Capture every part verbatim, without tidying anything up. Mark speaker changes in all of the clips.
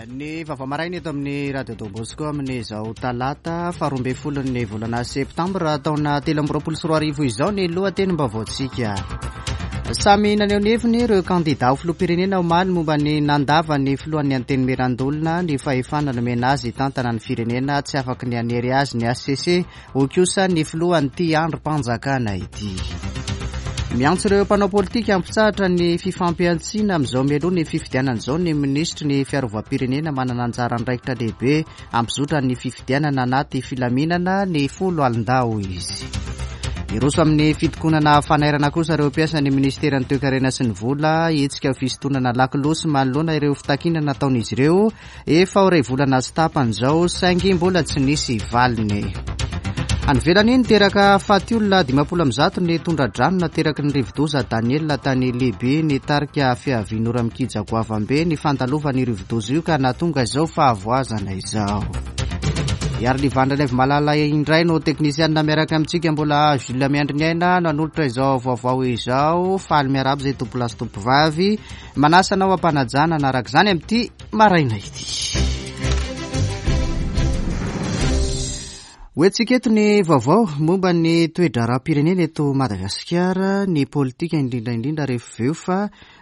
Speaker 1: Ny vaovao maraina eto amin'ny Radio Don Bosco amin'izao talata faharoa ambin'ny folon'ny volana septambra taona telo amby roapolo sy roa arivo izao ny lohatenim-baovaontsika. Samy naneho ny heviny ireo kandida ho filoham-pirenena omaly momba ny nandavan'ny filohan'ny Antenimierandoholona ny fahefana nomena azy hitantana ny firenena. Tsy afaky ny hanery azy ny H C C, hoy kosa ny filohan'ity andrim-panjakana ity. Miantso ireo mpanao politika hampitsahatra ny fifampihantsiana amin'izao mialoha ny fifidianana izao ny minisitry ny fiarovam-pirenena. Manana anjara andraikitra lehibe hampizotra ny fifidianana anaty filaminana ny foloalindahy izy. Iroso amin'ny fitokonana fanairana kosa ireo mpiasa ny ministeran'ny toekarena sy ny vola, hetsika fisintonana lakolosy manoloana ireo fitakiana nataon'izy ireo efa ho iray volana sy tapany izao, saingy mbola tsy nisy valiny. Any ivelany, niteraka faty olona dimampolo amby zato ny tondra-drano nateraky ny rivodoza Daniel tany Libye. Nitarika fiavian'ora mikija goavambe ny fandalovan'ny rivodoza io ka nahatonga izao fahavoazana izao. Iary Livandra Malala indray no teknisianina miaraka amintsika. Mbola Jules Miandry ny aina nanolotra izao vaovao izao. Faly miarahaba izay tompolahy sy tompovavy, manasa anao am-panajana araka izany amin'ity maraina ity. Hoentsika eto ny vaovao momba ny toe-draharaham-pirenena eto Madagasikara, ny politika indrindra indrindra, rehefa veo fa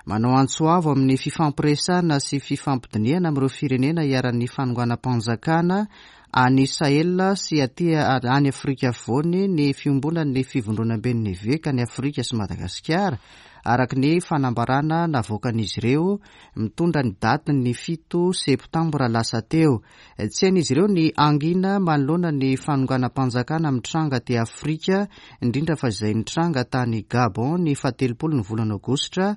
Speaker 1: manao antso avo amin'ny fifampiresahana sy fifampidinihana amin'ireo firenena iharan'ny fanonganam-panjakana any Sahel sy aty any Afrika Afovoany ny fiombonan'ny fivondronamben'ny eveka any Afrika sy Madagasikara, araka ny fanambarana navoakan'izy ireo mitondra ny datin'ny fito septambra lasa teo. Tsy hain'izy ireo ny hangina manoloana ny fanonganam-panjakana mitranga aty Afrika, indrindra fa izay nitranga tany Gabon ny fahatelopolo ny volana aogositra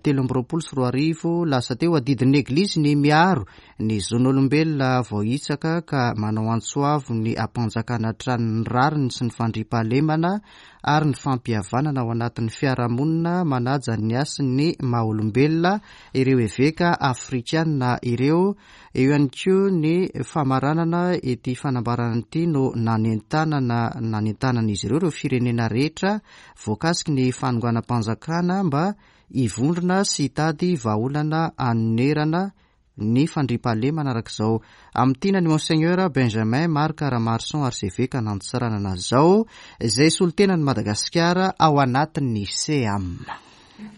Speaker 1: telo amby roapolo sy roa arivo lasa teo. Adidin'ny eglizy ny miaro ny zon'olombelona voahitsaka ka manao antso avo ny hampanjakana hatrany ny rariny sy ny fandriampahalemana ary ny fampihavanana ao anatin'ny fiarahamonina manaja ny hasin'ny maha olombelona ireo eveka afrikanina ireo. Eo ihany koa ny famaranana ety fanambarana ity no nanentanana nanentanana izy ireo ireo firenena rehetra voakasiky ny fanonganam-panjakana mba hivondrona sy hitady vahaolana hanonerana ny fandriampahalemana araka izao amin'tiana ny Monseigneur Benjamin Marc Ramarson, archevêque an'Antsiranana zao, izay solontenan'i Madagasikara ao anatin'ny SEAM.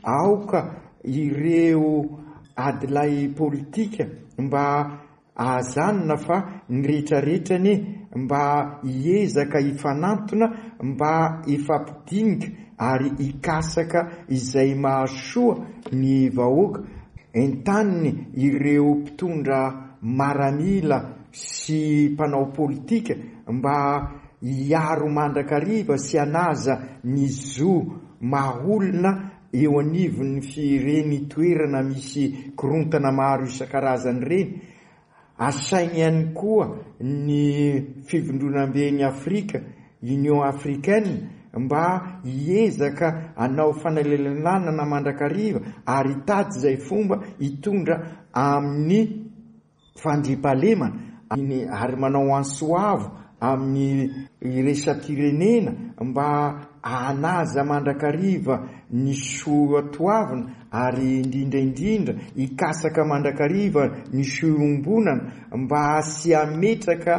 Speaker 2: Aoka ireo adilahy politika mba ahazanona fa ny rehetrarehetra anie mba hiezaka hifanantona mba hifampidinika ary hikasaka izay mahasoa ny vahoaka. Entaniny ireo mpitondra maramila sy mpanao politika mba hiaro mandrakariva sy hanaja ny zo maha olona eo anivon'ny fireny toerana misy korontana maro isan-karazany ireny. Asainy ihany koa ny fivondronamben'ny Afrika, Union africaine, mba hiezaka hanao fanelanelanana mandrakariva ary hitady izay fomba hitondra amin'ny fandriampahalemana, ary manao antso avo amin'ny iraisam-pirenena mba hanaja mandrakariva ny soatoavina ary indrindra indrindra hikasaka mandrakariva ny soiombonana mba sy hametraka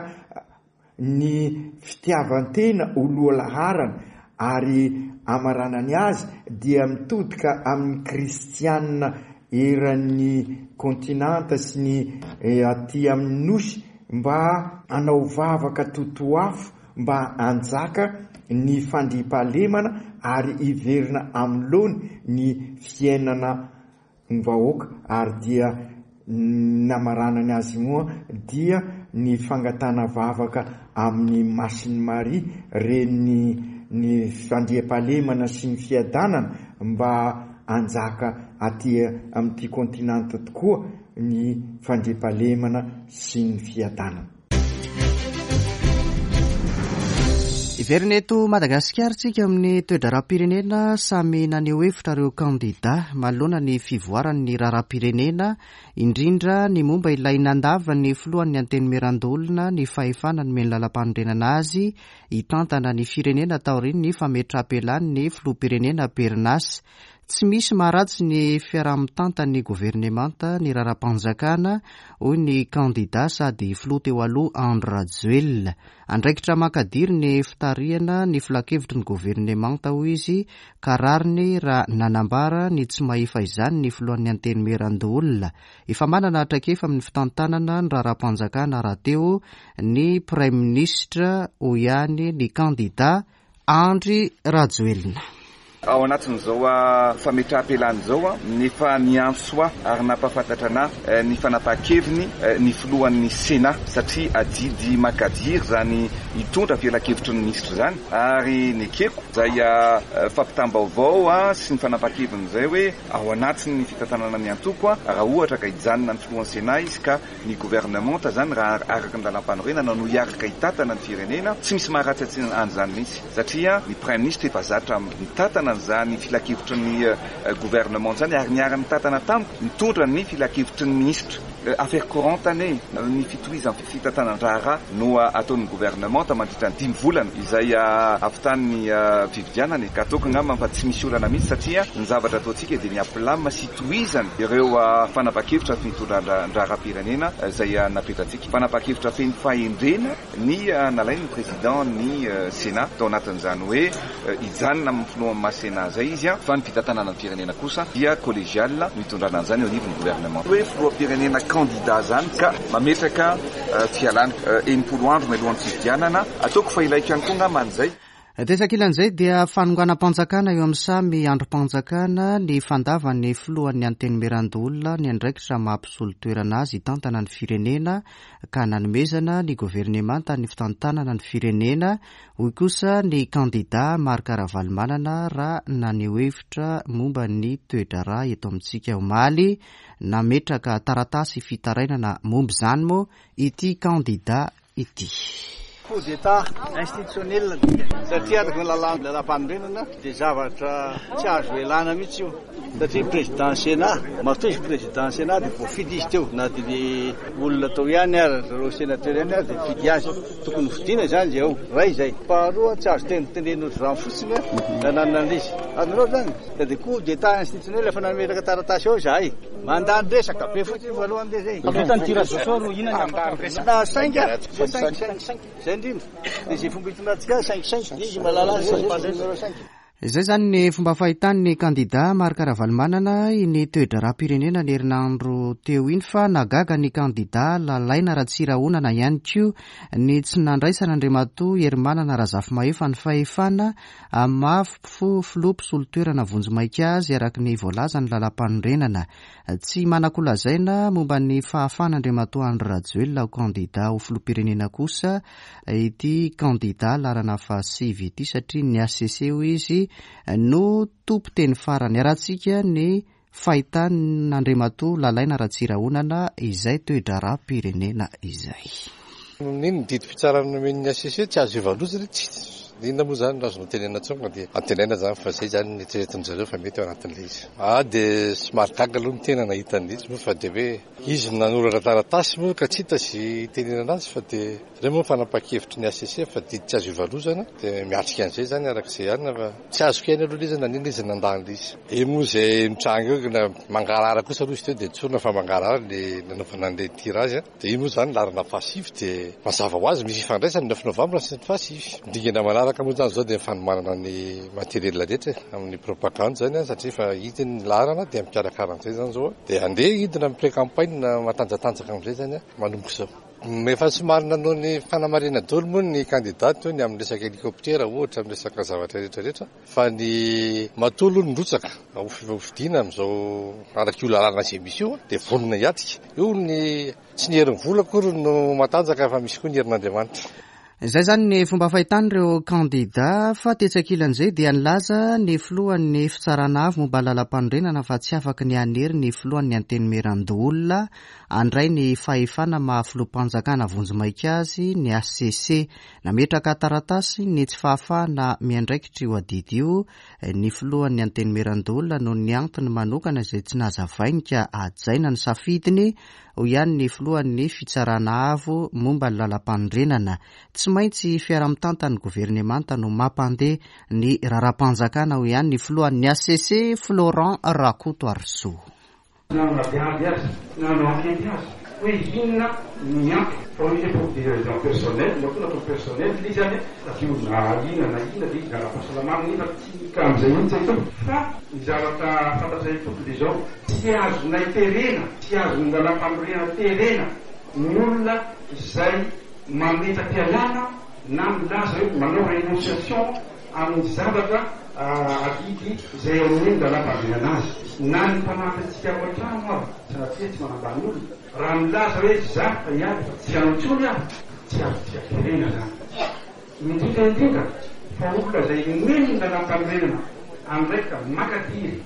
Speaker 2: ny fitiavan-tena ho lohalaharana. Ary amaranany azy dia mitodika amin'ny kristianina eran'ny kontinanta sy ny aty amin'ny nosy mba hanao vavaka totoafo mba hanjaka ny fandriampahalemana ary hiverina amin'ny laoniny ny fiainana ny vahoaka. Ary dia namaranany azy moa dia ny fangatahana vavaka amin'ny Masin'i Maria, reny ny fandriampahalemana sy ny fiadanana, mba hanjaka aty amin'ity kontinanta tokoa ny fandriampahalemana sy ny fiadanana.
Speaker 1: Hiverina eto Madagasikara tsika amin'ny toe-draharaham-pirenena. Samy naneho hevitra ireo kandida manoloana ny fivoaran'ny raharaham-pirenena, indrindra ny momba ilay nandavan'ny filohan'ny Antenimierandoholona ny fahefana nomeny lalam-panorenana azy hitantana ny firenena taorian'ny fametraham-pialan'ny filoham-pirenena am-perinasa. Tsy misy maharatsy ny fiaraha-mitantan'ny governemanta ny raharaham-panjakana, hoy ny kandida sady filoha teo aloha Andry Rajoelina. Andraikitra mankadiry ny fitarihana ny filankevitry ny governemanta, hoy izy, ka rariny raha nanambara ny tsy mahefa izany ny filohan'ny Antenimierandoholona. Efa manana traikefa amin'ny fitantanana ny raharaham-panjakana rahateo ny praiminisitra, hoy ihany ny kandida Andry Rajoelina.
Speaker 3: Ao anatin'izao fametraham-pialana izao, nefa niantso ahy ary nampahafantatra anahy ny fanapahan-keviny ny filohan'ny Sénat, satria adidy makadiry izany hitondra filankevitry ny minisitra izany, ary nekeko izay fampitam-baovao sy ny fanapahan-keviny izay hoe ao anatin'ny fitantanana ny antoko, raha ohatra ka hijanona ny filohan'ny Sénat izy ka ny gouvernement zany raha araka ny lalàm-panorenana no hiaraka hitantana ny firenena, tsy misy maharatsy an'izany mihitsy, satria ny praiminisitra efa zatra mitantana an'izany filankevitry ny gouvernement zany, ary niara-nitantana tamiko mitondra ny filankevitry ny minisitra. Affaire courante ane ny fitohizan'ny fitantanan-draharaha no ataon'ny gouvernement mandritra ny dimy volana izay ahavitany fifidianana, ka ataoko angamba fa tsy misy olana mihitsy, satria ny zavatra ataontsika dia miampilama sy tohizana ireo fanapahan-kevitra fitondran-draharaham-pirenena izay napetratsika. Fanapahan-kevitra feno fahendrena ny nalain'ny président ny Sénat tao anatin'izany hoe hijanona amin'ny filohan'ny maha Sénat zay izy, fa ny fitantanana ny firenena kosa dia collégial no hitondrana an'izany eo anivon'ny gouvernement. Hoe filoham-pirenena candidat zany ka mametraka fialana enimpolo andro mialohan'ny fifidianana, ataoko fa ilaiko ihany koa angamba an'izay.
Speaker 1: Tetsy ankilan'izay dia fanonganam-panjakana eo amin'ny samy andrim-panjakana ny fandavan'ny filohan'ny Antenimierandoholona ny andraikitra maha-mpisolo toerana azy hitantana ny firenena, ka nanomezana ny governemanta ny fitantanana ny firenena, hoy kosa ny kandida Marc Ravalomanana raha naneho hevitra momba ny toe-draharaha eto amintsika omaly. Nametraka taratasy fitarainana momba izany moa ity kandida ity.
Speaker 4: Coup d'état institutionnel, satria araka ny lalàm-panorenana dia zavatra tsy azo elana mihitsy io, satria président Sénat matoa izy président Sénat dia voafidy izy teo, na dia ny olona tao ihany ary zareo sénateur ihany ary dia fidy azy, tokony hofidiana izany zay ao ray izay. Faharoa, tsy azo tenitenena ohatr'izany fotsiny nananana an'izy azonareo zany, dia coup d'état institutionnel efa nametraka taratasy ao izahay, mandany resaka be fotsiny voalohany dia zay.
Speaker 5: Vita ny tirage au sort, inona ny afaka
Speaker 4: na cinq cinq cinq zay indrindra dia izay fomba hitondrantsika cinq cinq izy mahalala azy numéro cinq.
Speaker 1: Izay zany ny fomba fahitan'ny kandida Marc Ravalomanana ny toe-draharaham-pirenena ny herinandro teo iny, fa nagaga ny kandida Lalaina Ratsirahonana ihany koa ny tsy nandraisana Andriamatoa Herimanana Razafimahefa ny fahefana maha filoha mpisolo toerana vonjimaika azy araka ny voalaza ny lalàm-panorenana. Tsy manan-kolazaina momba ny fahafahana Andriamatoa Andry Rajoelina ho kandida ho filoham-pirenena kosa ity kandida laharana fahasivy ity, satria ny H C C hoy izy no tompo teny farany. Arahantsika ny fahitan'Andriamatoa Lalaina Ratsirahonana izay toe-draharaham-pirenena izay.
Speaker 6: Nino ny didim-pitsarana nomen'ny H C C tsy azo ivalozana, tsy inona moa zany no azo notenenina intsony, dia antenaina zany fa zay zany ny eritreretin-dry zareo fa mety ao anatin'ilay izy. Ah, dia somary gaga aloha ny tena nahita an'ilay izy moa, fa dia hoe izy no nanoratra taratasy moa ka tsy hita sy hitenenana azy, fa dia ireo moa fanapahan-kevitry ny H C C fa didy tsy azo ivalozana, dia miatrika an'izay zany arak'izay ihany, fa tsy azoko ihany aloha ilay izy nanina izy nandà an'ilay izy. Io moa izay mitranga eo na mangarahara kosa aloha izy teo, dia tsorina fa mangarahara ilay nanaovana an'ilay tirage, dia io moa zany laharana fahasivy, dia mazava ho azy misy ifandraisany ny neuf novembre sy ny fahasivy. Dingana manaraka moa zany izao dia fanomanana ny matériel rehetra amin'ny propagande zany, satria efa hita ny laharana dia mikarakara an'izay zany izao, dia andeha hidina amin'ny pré-campagne matanjatanjaka amin'izay zany manomboka izao. Efa somary nanao ny fanamarihana daholo moa ny kandida teo ny amin'ny resaka hélicoptère ohatra, amin'ny resaka zavatra rehetrarehetra, fa ny matoa aloha nirotsaka ho fifidiana amin'izao araka io lalàna izay misy io dia vonona hiatrika. Io ny tsy ny herin'ny vola akory no matanjaka fa misy koa ny herin'Andriamanitra.
Speaker 1: Izay zany ny fomba fahitan'ireo kandida, fa tetsy ankilan'izay dia nilaza ny filohan'ny fitsarana avo momba ny lalàm-panorenana fa tsy afaky ny hanery ny filohan'ny Antenimierandoholona handray ny fahefana maha filoham-panjakana vonjimaika azy ny H C C. Nametraka taratasy ny tsy fahafahana miandraikitra io adidy io ny filohan'ny Antenimierandoholona noho ny antony manokana izay tsy nazavainy ka hajaina ny safidiny, hoy ihany ny filohan'ny Fitsarana Avo momba ny lalàm-panorenana. Tsy maintsy fiaraha-mitantan'ny governemanta no mampandeha ny raharaham-panjakana, hoy ihany ny filohan'ny H C C, Florent Rakotoarisoa.
Speaker 7: Nanadiady azy, nanao enquête azy hoe inona ny antony, fa hoe izy pour des raisons personnelles, matoa natao personnel le izy any aveo, na inona na inona de izy ara-pahasalamana, nefa tsy ka am'izay mihitsy aito. Fa ny zavatra fantatray tokony de zao: tsy azonay terena, tsy azony lalàm-panorenana terena ny olona izay mametra-pialana na milaza hoe manao renonciation amin'ny zavatra adidy izay amin'ny lalàm-panorenana azy, na ny mpanampy antsika ao an-trano aho, sanatria tsy manambany olona, raha milaza hoe za fa iady fa tsy hanao intsony aho, tsy azo tsy aterena zany, indrindra indrindra fa olona zay nomeny ny lalàm-panorenana andraikitra makadiry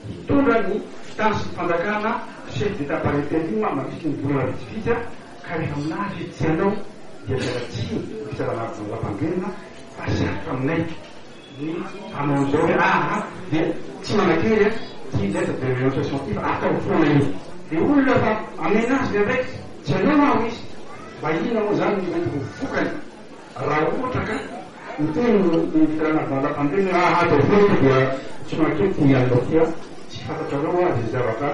Speaker 7: hitondra ny fitany sy ny fanjakana, chef d'état par intérim mandritry ny volana vitsivitsy a, ka rehefa milaza izy tsy hanao dia mialatsiny fitsarana lalàm-panorenana fa sarotra aminay ny hanao an'izao hoe aha dia tsy manakery a ty lettre de renonciation ty fa atao foana io, de olona fa amena azy ny andraikitra tsy hanao aho izy, mba inona moa zany ny mety ho vokany raha ohatra ka miteny ny fitsarana lalàm-panorenana aha atao foana dia tsy manakery ty alina ty a? Tsy fantatrareo a zay zavatra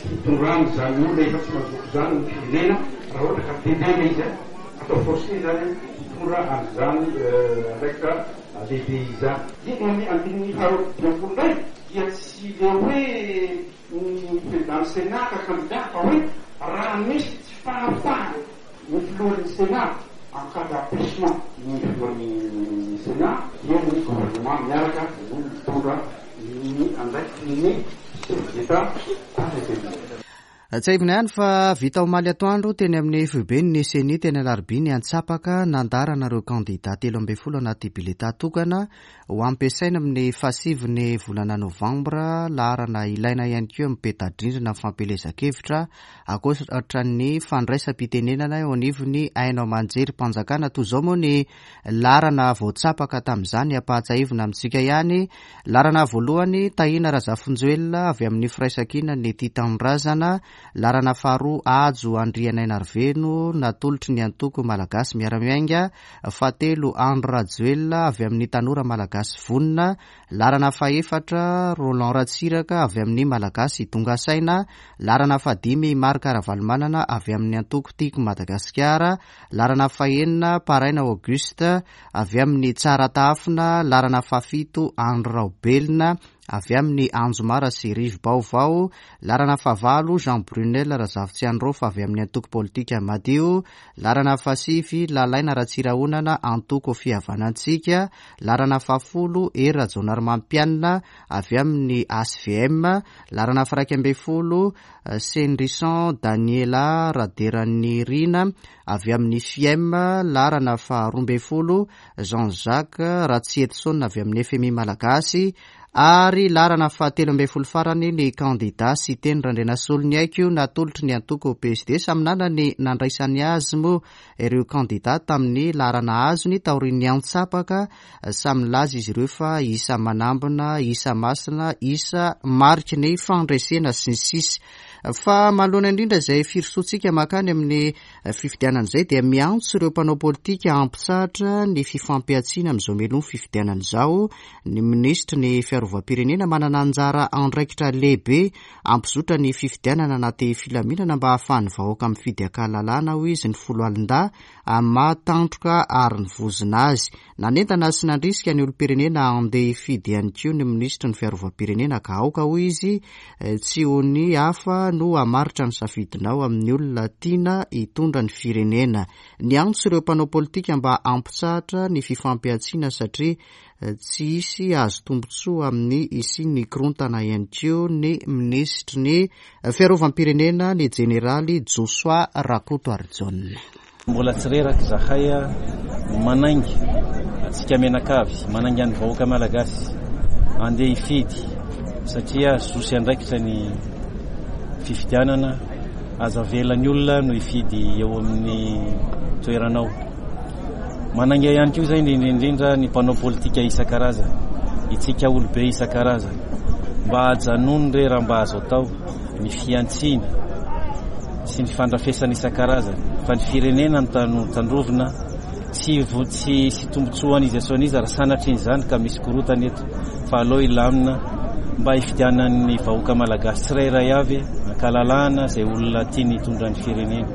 Speaker 7: hitondrany zany olona efa tsy mazoto zany ny firenena raha ohatra ka tendrena izy a, atao forcé zany hitondra an'izany andraikitra lehibe izany. Eto amin'ny andininy faharoa dimampolo ndray dia tsy le hoe ny président sénat ka candidat, fa hoe raha misy tsy fahafahana ny filohan'ny sénat, en cas d'empêchement ny filohan'ny sénat, dia ny gouvernement miaraka no mitondra ny andraikitry ny chef d'état par intérim.
Speaker 1: Tsiahivina ihany fa vita omaly atoandro teny amin'ny foiben'ny CENI teny Alarobia ny antsapaka nandaharana ireo kandida telo ambin'ny folo anaty bileta tokana ho ampiasaina amin'ny fahasivy volana novambra. Laharana ilaina ihany koa amin'ny peta-drindrina fampielezan-kevitra, ankoatra ny fandraisam-pitenenana eo anivon'ny haino aman-jerim-panjakana. Toy izao moa ny laharana voatsapaka tamin'izany, ampahatsiahivina amintsika ihany: laharana voalohany, Tahina Razafinjoelina avy amin'ny Firaisankina ny Tia Tanindrazana; laharana faharoa, Hajo Andrianainarivelo natolotry ny antoko Malagasy Miara-Miainga; fahatelo, Andry Rajoelina avy amin'ny Tanora Malagasy Vonona; laharana fahefatra, Roland Ratsiraka avy amin'ny Malagasy Tonga Saina; laharana fahadimy, Marc Ravalomanana avy amin'ny antoko Tiako Madagasikara; laharana fahenina, Paraina Auguste avy amin'ny Tsara Tahafina; laharana fahafito, Andry Raobelina avy amin'ny Anjomara sy Rivo-Baovao; laharana fahavalo, Jean Brunel Razafitsiandraofa avy amin'ny antoko politika Madio; laharana fahasivy, Lalaina Ratsirahonana, antoko Fihavanantsika; laharana fahafolo, Hery Rajaonarimampianina avy amin'ny H V M; laharana faharaiky ambin'ny folo, Senrison Daniela Raderanirina avy amin'ny F I E M; laharana faharoa ambin'ny folo, Jean Jacques Ratsietison avy amin'ny F M I Malagasy; ary laharana fahatelo ambin'ny folo farany, ny kandida Siteny Randrianasoloniaiko natolotry ny antoko P S D. Samy nanana ny nandraisany azy moa ireo kandida tamin'ny laharana azony taorian'ny antsapaka. Samy nilaza izy ireo fa isa manambina, isa masina, isa mariky ny fandresena sy ny sisa. Fa manoloana indrindra izay firosoantsika makany amin'ny fifidianana izay, dia miantso ireo mpanao politika hampitsahatra ny fifampihantsiana amin'izao mialoha ny fifidianana izao ny minisitry ny fiarovam-pirenena. Manana anjara andraikitra lehibe hampizotra ny fifidianana anaty filaminana mba hahafahan'ny vahoaka mifidy an-kalalahana, hoy izy, ny foloalindahy mahatandroka ary ny vozona azy. Nanentana sy nandrisika ny olom-pirenena andeha hifidy ihany koa ny minisitry ny fiarovam-pirenena, ka aoka, hoy izy, tsy ho ny hafa no hamaritra ny safidinao amin'ny olona tiana hitondra ny firenena. Niantso ireo mpanao politika mba hampitsahatra ny fifampihantsiana satria tsy hisy hahazo tombontsoa amin'ny hisian'ny korontana ihany koa ny minisitry ny fiarovam-pirenena, ny jeneraly Josoa Rakotoarijaona.
Speaker 8: Mbola tsy reraka zahay a manainga atsika mianakavy, manainga ny vahoaka malagasy andeha hifidy satria zo sy andraikitra ny fifidianana. Aza avela ny olona no hifidy eo amin'ny toeranao. Manainga ihany koa zay indrindrindrindra ny mpanao politika isan-karazany, itsika olobe isan-karazany, mba ajanony re raha mba azo atao ny fihantsiana. sy ny fandrafesana isan-karazany fa ny firenena no tandrovina, tsy tsy sy tombotsoan'izy asoan'izy raha sanatria izany ka misy korotana eto, fa aleo hilamina mba hifidianan'ny vahoaka malagasy tsirairay avy ankalalahana izay olona tiany hitondra ny firenena.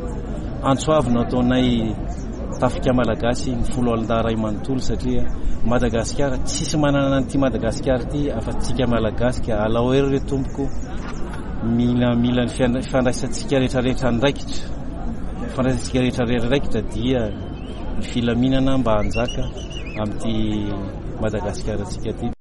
Speaker 8: Antso avo no ataonay tafika malagasy ny folo alin-dahy iray manontolo, satria Madagasikara tsisy manana an'ity Madagasikara ity afa-tsika malagasy, ka alao hery re tompoko, mila mila ny fifandraisantsika rehetrarehetra andraikitra, fifandraisantsika rehetrarehetra andraikitra dia ny filaminana mba hanjaka amin'ity Madagasikara antsika ity.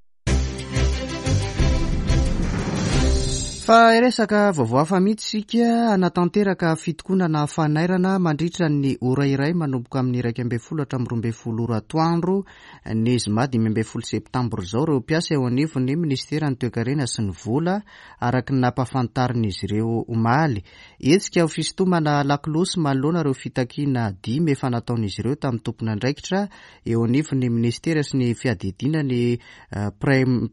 Speaker 1: Fa resaka vaovao hafa mihitsy isika. Hanatanteraka fitokonana fanairana mandritra ny ora iray manomboka amin'ny iraika ambin'ny folo hatramin'ny roa ambin'ny folo ora atoandro ny zoma dimy ambin'ny folo septambra izao ireo mpiasa eo anivon'ny ministeran'ny toekarena sy ny vola, araka ny nampahafantarin'izy ireo omaly. Hetsika ho fisintomana lakolosy manoloana ireo fitakiana dimy efa nataon'izy ireo tamin'ny tompon'andraikitra eo anivon'ny ministera sy ny fiadidiana ny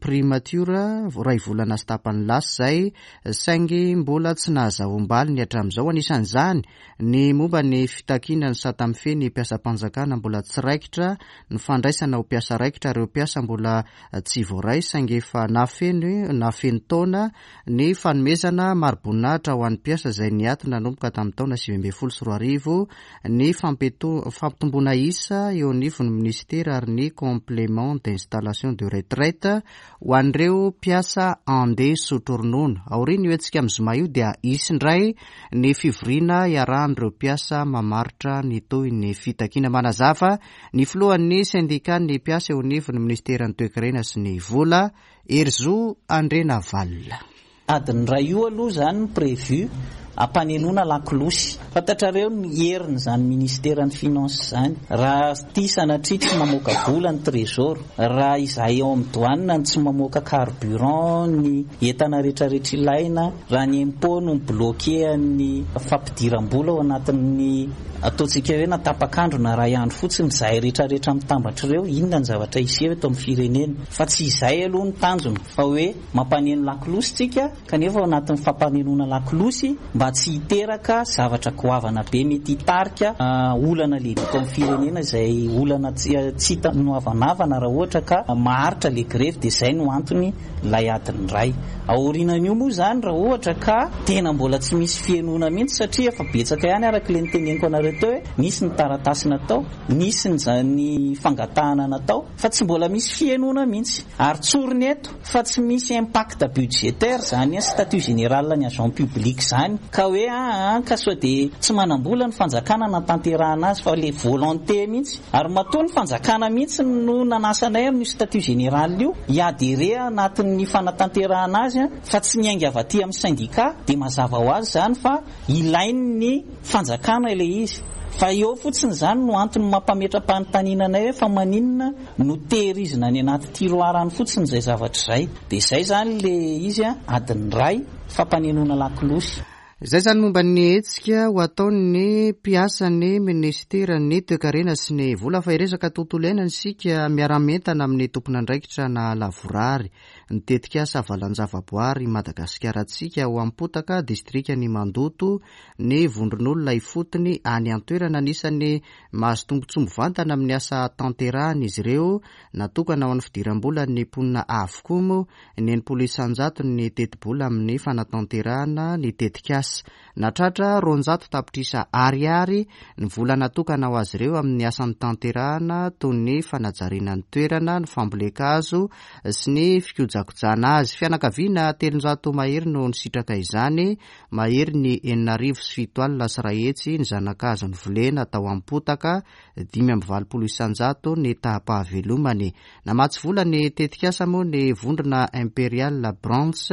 Speaker 1: primature iray volana sy tapany lasa izay, saingy mbola tsy nahazahoam-baliny hatramin'izao. Anisan'izany ny momba ny fitakiana ny sata mifehy ny mpiasam-panjakana mbola tsy raikitra, ny fandraisana ho mpiasa raikitra ireo mpiasa mbola tsy voaray saingy efa nafeno nafeno taona, ny fanomezana mari-boninahitra ho an'ny mpiasa izay niato nanomboka tamin'ny taona sivy ambin'ny folo sy roa arivo, ny fampitomboana isa eo anivon'ny ministera ary ny complément d'installation de retraite ho an'ireo mpiasa andeha sotro ronono. Aorian'io hetsika amin'ny zoma io dia hisy indray ny fivoriana iarahan'ireo mpiasa mamaritra ny tohin'ny fitakiana. Manazava ny filohan'ny sendikan'ny mpiasa eo anivon'ny ministeran'ny toekarena sy ny vola, Herizo Andrianavalona.
Speaker 9: Adiny iray io aloha izany prévu ampanenoana lakolosy. Fantatrareo ny herin'izany ministeran'ny finance izany. Raha ity sanatria tsy mamoaka vola ny trésor, raha izahay ao amin'ny douane no tsy mamoaka carburant, ny entana rehetrarehetra ilaina, raha ny impôt no mi-bloquer ny fampidiram-bola ao anatin'ny ataontsika hoe na tapak'andro na iray andro fotsiny, izahay rehetrarehetra mitambatra ireo, inona ny zavatra hiseho eto amin'ny firenena. Fa tsy izay aloha ny tanjona, fa hoe mampaneno lakolosy tsika, kanefa ao anatin'ny fampanenoana lakolosy mba tsy hiteraka zavatra goavana be mety hitarika olana lehibe eto amin'ny firenena, izay olana tsy hita noavanavana raha ohatra ka maharitra le grevy, dia izay no antony ilay adiny iray. Aorianan'io moa izany raha ohatra ka tena mbola tsy misy fihenona mihitsy, satria efa betsaka ihany araka ilay niteneniko anareo teo hoe nisy ny taratasy natao, nisy ny fangatahana natao, fa tsy mbola misy fihenona mihitsy. Ary tsoriny eto fa tsy misy impact budgétaire zany statut général ny agent public zany, ka hoe ah ka sao dia tsy manam-bola ny fanjakana natanterahana azy, fa le volonté mihitsy. Ary matoa ny fanjakana mihitsy no nanasanay amin'io statut général io hiadere anatin'ny fanatanterahana azy, fa tsy niainga avy aty amin'ny syndicat, dia mazava ho azy zany fa ilain'ny fanjakana ilay izy. Fa eo fotsiny zany no antony mampametra-panontaniana anay hoe fa maninona no tehirizina any anaty tiroir any fotsiny izay zavatra izay. Dia izay zany le izy adiny iray fampanenoana lakolosy.
Speaker 1: Izay zany momba ny hetsika ho ataon'ny mpiasan'ny ministeran'ny toekarena sy ny vola. Fa hiresaka tontolo iainana isika, miara-mientana amin'ny tompon'andraikitra na lavorary ny tetikasa valan-javaboary Madagasikara antsika ao Ampotaka, distrikan'i Mandoto, ny vondron'olona ifotony any an-toerana. Anisan'ny mahazo tombontsoa mivantana amin'ny asa tanterahana izy ireo. Natokana ho an'ny fidiram-bolan'ny mponina avokoa moa ny enimpolo isan-jato ny tetibola amin'ny fanatanterahana ny tetikasa. Natratra roanjato tapitrisa ariary ny vola natokana ho azy ireo amin'ny asan'ny tanterahana toy ny fanajariana ny toerana, ny fambolen-kazo sy ny fikojakojana azy. Fianakaviana telonjato mahery no nisitraka izany, mahery ny enina arivo sy fito alina sy iray hetsy ny zanakazo novolena tao Ampotaka, dimy amby valopolo isan-jato ny taham-pahavelomany. Namatsy vola ny tetikasa moa ny vondrona Imperial Brands,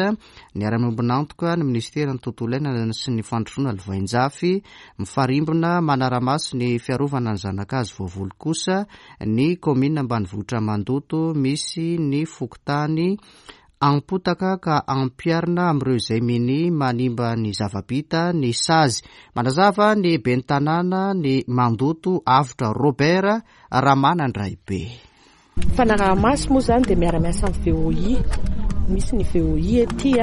Speaker 1: niara-miombon'antoka ny ministeran'ny tontolo iainana sy ny fandrosoana lovainjafy, mifarimbona manara-maso ny fiarovana ny zanakazo voavoly kosa ny kaominina ambanivohitra Mandoto misy ny fokontany Ampotaka, ka ampiharina amin'ireo izay mini manimba ny zava-bita ny sazy. Manazava ny ben'ny tanàna ny Mandoto, Avotra Robert Ramanandraibe.
Speaker 10: Fanaraha-maso moa izany dia miara-miasa amin'ny V O I. Misy ny V O I ety,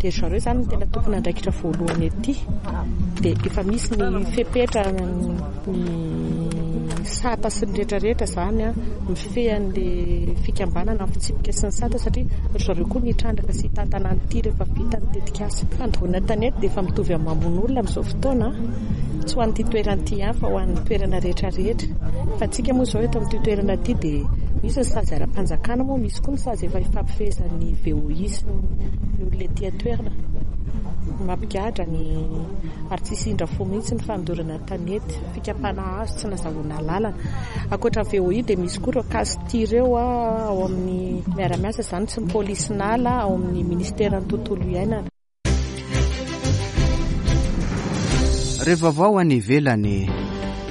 Speaker 10: Dia ry zareo izany no tena tompon'andraikitra voalohany ety. Dia efa misy ny fepetra ny sata sy ny rehetrarehetra izany a, mifehy an'ilay fikambanana, ny fitsipika sy ny sata, satria ry zareo koa nitrandraka sy hitantana an'ity rehefa vita ny tetikasa. Fandoroana tanety dia efa mitovy amin'ny mamono olona amin'izao fotoana, tsy ho an'ity toerana ity ihany fa ho an'ny toerana rehetrarehetra. Fa antsika moa izao eto amin'ity toerana ity dia misy ny sazy ara-panjakana moa, misy koa ny sazy efa ifampifehezan'ny V O I sy ny olona ety an-toerana. Mampigadra ny ary tsisy indra fo mihitsy ny fandorana tanety, fikapana hazo tsy nazahoana lalana. Ankoatra ny V O I dia misy koa ireo kasty ireo ao amin'ny miara-miasa izany sy ny polisinala ao amin'ny ministeran'ny tontolo iainana.
Speaker 1: Rehefa vaovao any ivelany,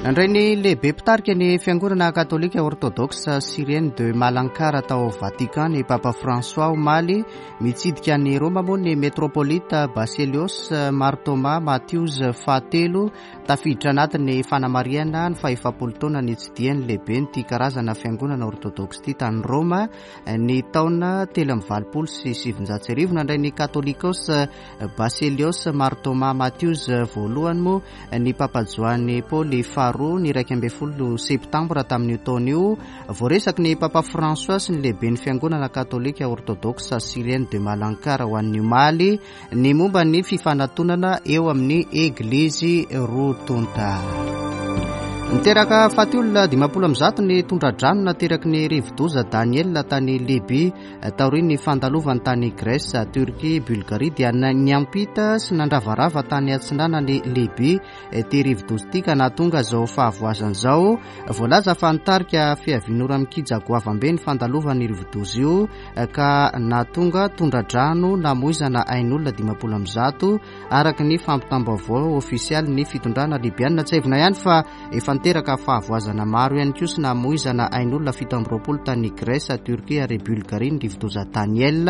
Speaker 1: nandray ny lehibe mpitarika ny fiangonana katolika orthodoxe syrienne de Malankara tao Vatican ny Papa François omaly. Mitsidika ny Roma moa ny metropolite Basilios Martoma Matthews fahatelo, tafiditra anatin'ny fanamarihana ny fahefapolo taona nitsidihan'ny lehibe nyity karazana fiangonana orthodoxe ity tany Roma ny taona telo amby valopolo sy sivinjato sy arivo. Nandray ny katolikos Basilios Martoma Matthews voalohany moa ny Papa Joany Paoly faharoa ny iraika ambin'ny folo septambra tamin'io taona io. Voaresaky ny Papa François sy ny lehiben'ny fiangonana katolika orthodoxe syrienne de Malankara ho an'ny omaly ny momba ny fifanatonana eo amin'ny eglizy roa tonta. Niteraka faty olona dimampolo amby zato ny tondra-drano nateraky ny rivodoza Daniel tany Libye taorian'ny fandalovany tany Grèce, Turquie, Bulgarie dia niampita sy nandravarava tany atsinanan'i Libye ity rivodoza ity ka nahatonga izao fahavoazana izao. Voalaza fa nitarika fiavian'ora mikija goavambe ny fandalovan'ny rivodoza io ka nahatonga tondra-drano namoizana ain'olona dimampolo amby zato araka ny fampitam-baovao ofisialy ny fitondrana libiana. Tsiahivina ihany fa efa niteraka fahavoazana maro ihany koa sy namoizana ain'olona fito amby roapolo tany Grèce, Turquie ary Bulgarie ny rivodoza Daniel,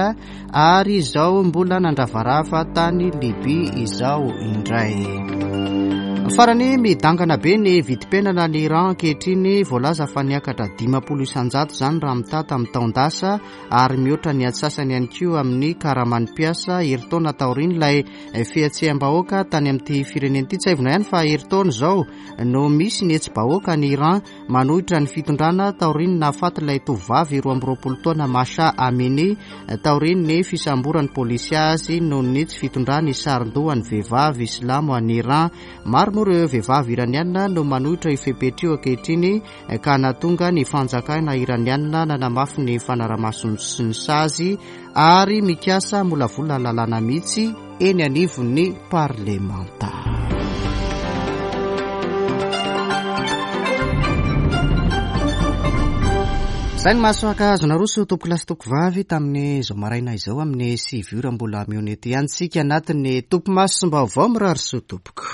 Speaker 1: ary izao mbola nandravarava tany Libye izao indray. Farany, midangana be ny vidim-piainana ny Iran ankehitriny. Voalaza fa niakatra dimampolo isanjato izany raha mitaha tamin'ny taon-dasa ary mihoatra ny antsasany ihany koa amin'ny karaman'ny mpiasa herintaona taorian'ilay fihetseham-bahoaka tany amin'ity firenena ity. Tsiahivina ihany fa herintaona izao no misy ny hetsi-bahoaka ny Iran manohitra ny fitondrana taorian'ny nahafaty ilay tovovavy roa amby roapolo taona Masha Amini taorian'ny fisamboran'ny polisy azy noho ny tsy fitondrany saron-dohan'ny vehivavy silamo any Iran. Maro moa ireo vehivavy iraniana no manohitra io fepetra io ankehitriny ka nahatonga ny fanjakana iraniana nanamafy ny fanaramasony sy ny sazy ary mikasa molavola lalàna mihitsy eny anivon'ny parlemanta. Izay ny mahasoaka azo naroso tompoko lahy sy tompoko vavy tamin'izao maraina izao amin'ny sivy ora mbola mionety ihany tsika anatin'ny topimaso sy vaovao mirary soa tompoko.